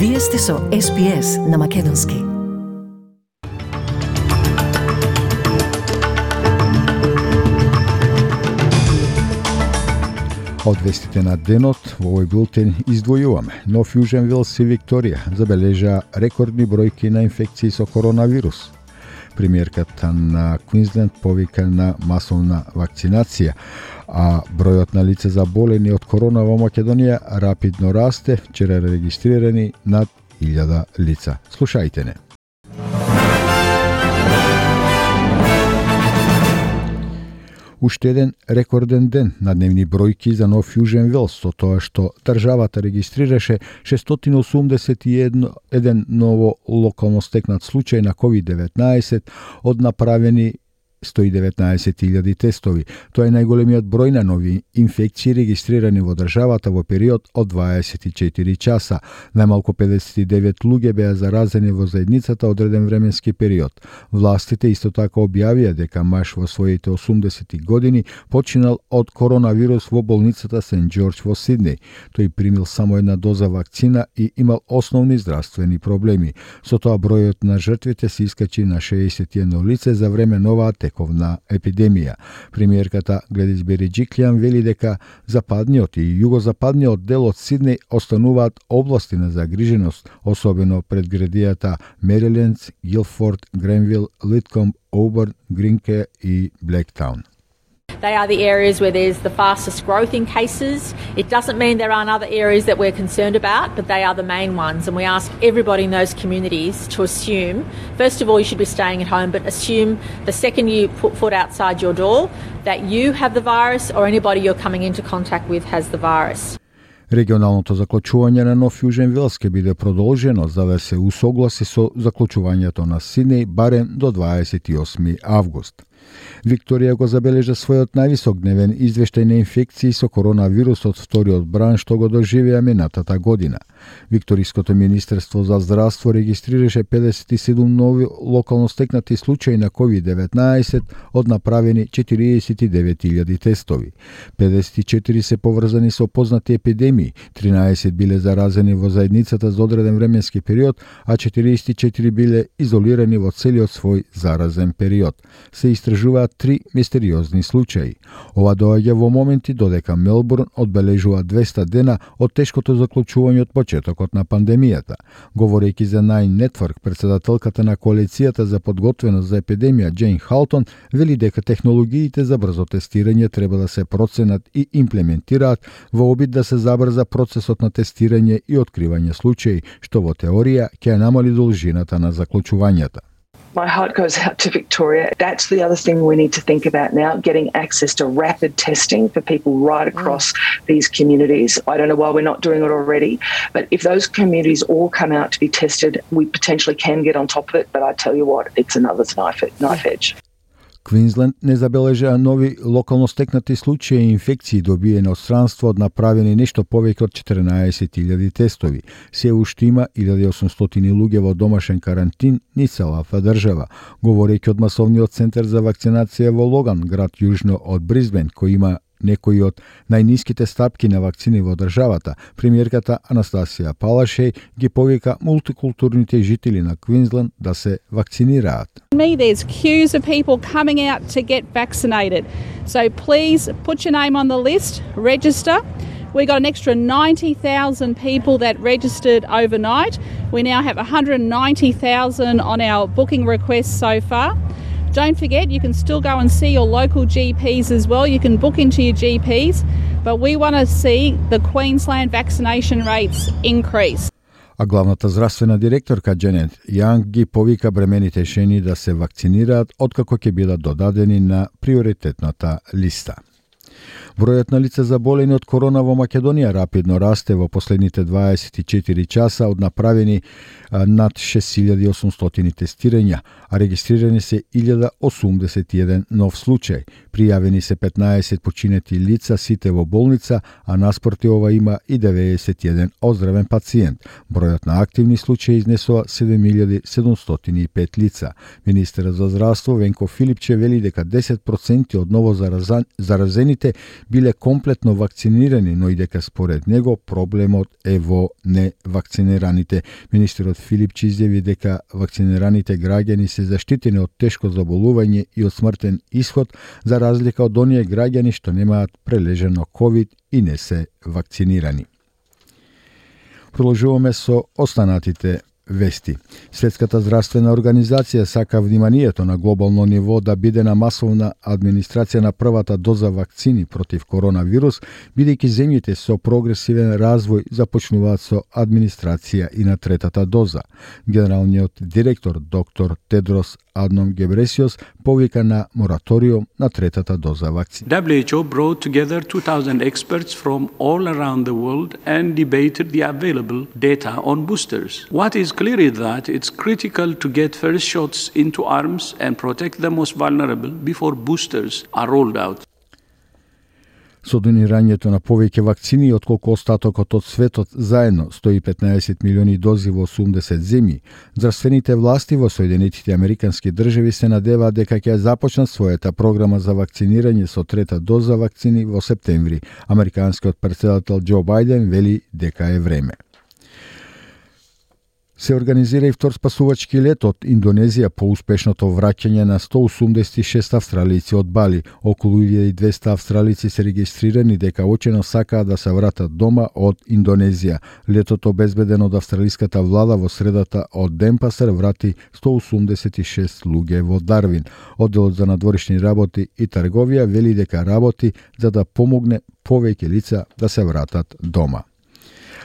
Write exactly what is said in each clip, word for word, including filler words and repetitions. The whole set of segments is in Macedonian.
Вие сте со Ес Би Ес на Македонски. Од вестите на денот во овој бултен издвојуваме. Нов Јужен Велс и Викторија забележа рекордни бројки на инфекции со коронавирус. Премиерката на Квинсленд повика на масовна вакцинација, а бројот на лица заболени од корона во Македонија рапидно расте, вчера регистрирани над илјада лица. Слушајте не. Уште еден рекорден ден на дневни бројки за Нов Јужен Велс, со тоа што државата регистрираше шестстотини осумдесет и еден ново локално стекнат случај на ковид деветнаесет од направени сто и деветнаесет илјади тестови. Тоа е најголемиот број на нови инфекции регистрирани во државата во период од дваесет и четири часа. Најмалку педесет и девет луѓе беа заразени во заедницата одреден временски период. Властите исто така објавија дека маж во своите осумдесети години починал од коронавирус во болницата Сент Џорџ во Сиднеј. Тој примил само една доза вакцина и имал основни здравствени проблеми. Со тоа бројот на жртвите се искачи на шеесет и едно лице за време на оваа тековна епидемија. Премиерката Гледис Береџиклијан вели дека западниот и југозападниот дел од Сиднеј остануваат области на загриженост, особено пред градијата Мериленд, Гилфорд, Гренвил, Литкомб, Оберн, Гринке и Блектаун. They are the areas where there's the fastest growth in cases. It doesn't mean there aren't other areas that we're concerned about, but they are the main ones. And we ask everybody in those communities to assume, first of all, you should be staying at home, but assume the second you put foot outside your door that you have the virus or anybody you're coming into contact with has the virus. Регионалното заклучување на Нов Јужен Велс ќе биде продолжено за да се усогласи со заклучувањето на Сиднеј барем до дваесет и осми август. Викторија го забележа својот највисок дневен извештај на инфекции со коронавирус од вториот бран што го доживеа минатата година. Викториското министерство за здравство регистрираше педесет и седум нови локално стекнати случаи на ковид деветнаесет од направени четириесет и девет илјади тестови. педесет и четири се поврзани со познати епидемии, тринаесет биле заразени во заедницата за одреден временски период, а четириесет и четири биле изолирани во целиот свој заразен период. Се истражуваат три мистериозни случаи. Ова доаѓа во моменти додека Мелбурн одбележува двеста дена од тешкото заклучување од почетокот на пандемијата. Говорејќи за Nine Network, председателката на коалицијата за подготвеност за епидемија Џейн Халтон вели дека технологиите за брзо тестирање треба да се проценат и имплементираат во обид да се забрза процесот на тестирање и откривање случаи, што во теорија ќе намали должината на заклучувањата. My heart goes out to Victoria. That's the other thing we need to think about now, getting access to rapid testing for people right across mm. these communities. I don't know why we're not doing it already, but if those communities all come out to be tested, we potentially can get on top of it, but I tell you what, it's another knife, knife edge. Квинсленд не забележа нови локално стекнати случаи и инфекции добиени од странство од направени нешто повеќе од четиринаесет илјади тестови. Се уште има илјада и осумстотини луѓе во домашен карантин низ целата држава. Говорејќи од масовниот центар за вакцинација во Логан, град јужно од Брисбен, кој има некои од најниските стапки на вакцини во државата, премиерката Анастасија Палашеј ги повика мултикултурните жители на Квинсленд да се вакцинираат. Me, there's queues of people coming out to get vaccinated. So please put your name on the list, register. We got an extra ninety thousand people that registered overnight. We now have one hundred ninety thousand on our booking requests so far. Don't forget, you can still go and see your local G Ps as well. You can book into your G Ps, but we want to see the Queensland vaccination rates increase. А главната здравствена директорка Дженет Јанг ги повика бремените жени да се вакцинираат откако ќе бидат додадени на приоритетната листа. Бројот на лица заболени од корона во Македонија рапидно расте во последните дваесет и четири часа од направени над шест илјади и осумстотини тестирања, а регистрирани се илјада осумдесет и еден нов случај. Пријавени се петнаесет починети лица, сите во болница, а наспроти ова има и деветдесет и еден оздравен пациент. Бројот на активни случаи изнесува седум илјади седумстотини и пет лица. Министерот за здравство Венко Филипче вели дека десет проценти од ново заразените биле комплетно вакцинирани, но и дека според него проблемот е во невакцинираните. Министерот Филипчи изјави дека вакцинираните граѓани се заштитени од тешко заболување и од смртен исход, за разлика од оние граѓани што немаат прележено ковид и не се вакцинирани. Продолжуваме со останатите вести. Светската здравствена организација сака вниманието на глобално ниво да биде на масовна администрација на првата доза вакцини против коронавирус, бидејќи земјите со прогресивен развој започнуваат со администрација и на третата доза. Генералниот директор доктор Тедрос Адном Гебресиос повика на мораториум на третата доза вакцина. W H O brought together two thousand experts from all around the world and debated the available data on boosters. What is clear is that it's critical to get first shots into arms and protect the most vulnerable before boosters are rolled out. Со донирањето на повеќе вакцини отколку остатокот од светот заедно сто и петнаесет милиони дози во осумдесет земји, здравствените власти во Соединетите Американски држави се надеваат дека ќе започнат својата програма за вакцинирање со трета доза вакцини во септември. Американскиот претседател Џо Бајден вели дека е време. Се организира и втор спасувачки лет од Индонезија по успешното враќање на сто осумдесет и шест австралици од Бали. Околу илјада и двесте австралици се регистрирани дека очено сакаат да се вратат дома од Индонезија. Летото обезбедено од австралиската влада во средата од Денпасар врати сто осумдесет и шест луѓе во Дарвин. Одделот за надворешни работи и трговија вели дека работи за да помогне повеќе лица да се вратат дома.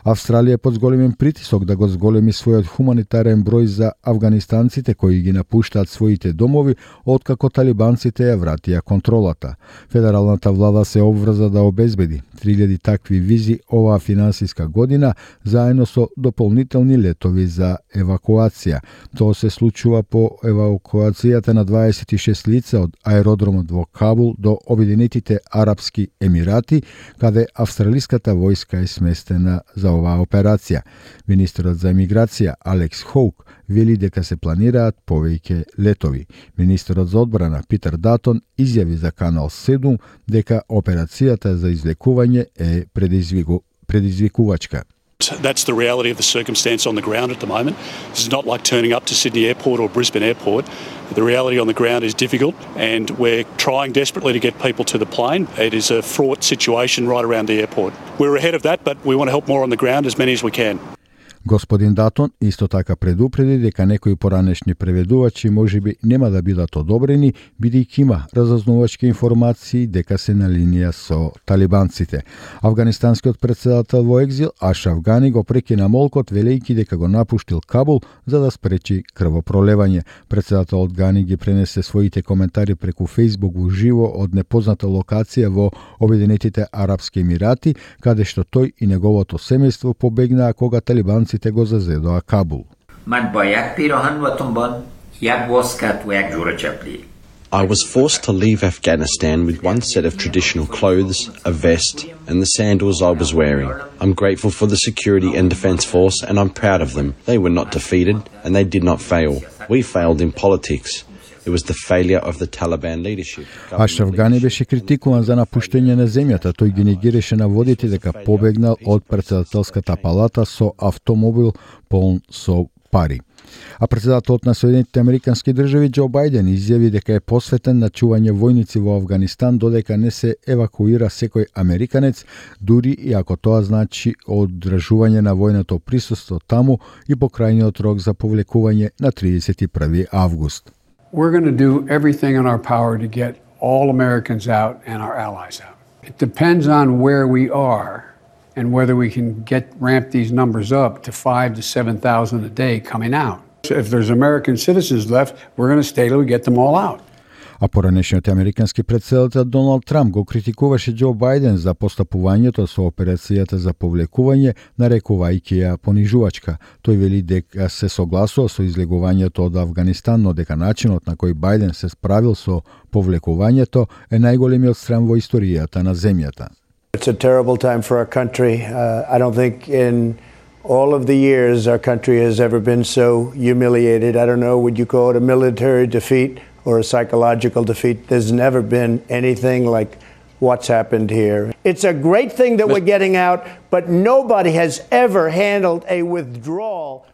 Австралија е под зголемен притисок да го зголеми својот хуманитарен број за афганистанците кои ги напуштаат своите домови откако талибанците ја вратија контролата. Федералната влада се обврза да обезбеди три илјади такви визи оваа финансиска година заедно со дополнителни летови за евакуација. Тоа се случува по евакуацијата на дваесет и шест лица од аеродромот во Кабул до Обединетите Арапски Емирати, каде австралиската војска е сместена за оваа операција. Министерот за емиграција Алекс Хоук вели дека се планираат повеќе летови. Министерот за одбрана Питер Датон изјави за Канал седум дека операцијата за извлекување е предизвику, предизвикувачка. That's the reality of the circumstance on the ground at the moment. This is not like turning up to Sydney Airport or Brisbane Airport. The reality on the ground is difficult and we're trying desperately to get people to the plane. It is a fraught situation right around the airport. We're ahead of that, but we want to help more on the ground, as many as we can. Господин Датон исто така предупреди дека некои поранешни преведувачи можеби нема да бидат одобрени, бидејќи има разузнавачки информации дека се на линија со талибанците. Афганистанскиот претседател во екзил Ашраф Гани го прекина молкот велејќи дека го напуштил Кабул за да спречи крвопролевање. Претседателот Гани ги пренесе своите коментари преку Фејсбук во живо од непозната локација во Обединетите Арапски Емирати, каде што тој и неговото семејство побегнаа кога талибанците го зазедоа Кабул. من با یک پیراهن و تنبان یک واسکت و یک جوره چپلی. I was forced to leave Afghanistan with one set of traditional clothes, a vest, and the sandals I was wearing. I'm grateful for the security and defence force, and I'm proud of them. They were not defeated, and they did not fail. We failed in politics. It was the failure of the Taliban leadership. Ашраф Гани беше критикуван за напуштање на земјата. Тој ги негираше наводите дека побегнал од претседателската палата со автомобил полн со пари. А претседателот на Соединетите Американски држави Џо Бајден изјави дека е посветен на чување војници во Афганистан додека не се евакуира секој американец, дури и ако тоа значи оддржување на војното присуство таму и покрајниот рок за повлекување на тридесет и први август. We're going to do everything in our power to get all Americans out and our allies out. It depends on where we are and whether we can get ramp these numbers up to five to seven thousand a day coming out. So if there's American citizens left, we're going to stay till we get them all out. А поранешниот американски претседател Доналд Трамп го критикуваше Џо Бајден за постапувањето со операцијата за повлекување, нарекувајќи ја понижувачка. Тој вели дека се согласува со излегувањето од Афганистан, но дека начинот на кој Бајден се справил со повлекувањето е најголемиот срам во историјата на земјата. It's a terrible time for our country. Uh, I don't think in all of the years our country has ever been so humiliated. I don't know, would you call it a military defeat or a psychological defeat? There's never been anything like what's happened here. It's a great thing that we're getting out, but nobody has ever handled a withdrawal.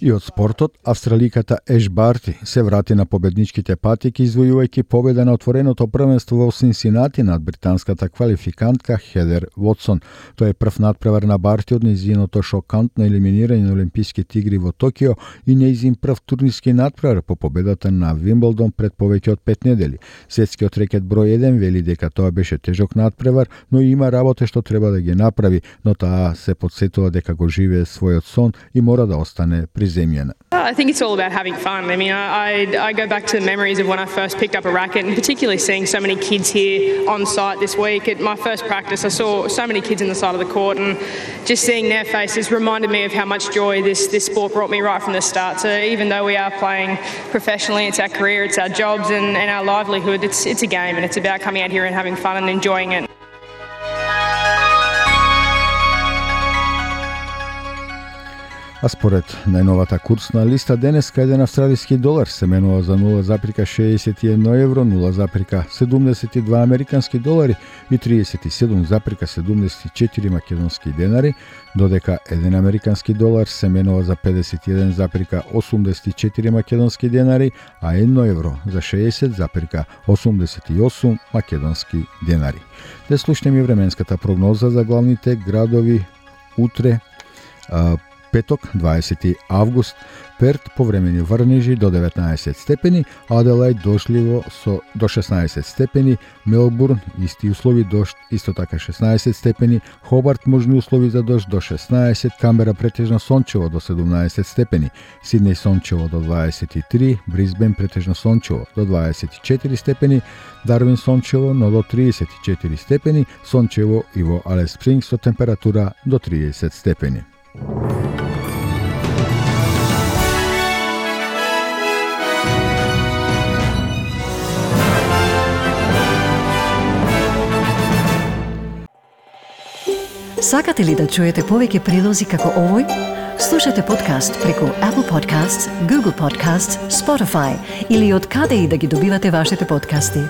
И од спортот, австраликата Еш Барти се врати на победничките патики, извојувајќи победа на отвореното првенство во Синсинати над британската квалификантка Хедер Вотсон. Тоа е прв надпревар на Барти од нејзиното шокантно елиминирање на Олимписките игри во Токио и нејзин прв турнирски надпревар по победата на Вимблдон пред повеќе од пет недели. Светскиот рекет број еден вели дека тоа беше тежок надпревар, но има работа што треба да ги направи, но таа се потсетува дека го живее својот сон и мора да остане приземјена. I think it's all about having fun. I mean, I, I, I go back to the memories of when I first picked up a racket, and particularly seeing so many kids here on site this week. At my first practice, I saw so many kids in the side of the court, and just seeing their faces reminded me of how much joy this, this sport brought me right from the start. So even though we are playing professionally, it's our career, it's our jobs and, and our livelihood, it's, it's a game, and it's about coming out here and having fun and enjoying it. А според најновата курсна листа, денеска еден австралиски долар се менува за нула запирка шеесет и едно евро, нула запирка седумдесет и два американски долари и тридесет и седум запирка седумдесет и четири македонски денари, додека еден американски долар се менува за педесет и еден запирка осумдесет и четири македонски денари, а едно евро за шеесет запирка осумдесет и осум македонски денари. Да слушнеме временската прогноза за главните градови утре, петок, дваесети август, Перт повремени врнежи до деветнаесет степени, Аделајд дошливо со до шеснаесет степени, Мелбурн исти услови дожд исто така шеснаесет степени, Хобарт можни услови за дожд до шеснаесет, Камбера претежно сончево до седумнаесет степени, Сиднеј сончево до дваесет и три, Брисбен претежно сончево до дваесет и четири степени, Дарвин сончево но до тридесет и четири степени, сончево и во Алис Спрингс со температура до тридесет степени. Сакате ли да чуете повеќе прилози како овој? Слушате подкаст преку Apple Podcasts, Google Podcasts, Spotify или од каде и да ги добивате вашите подкасти.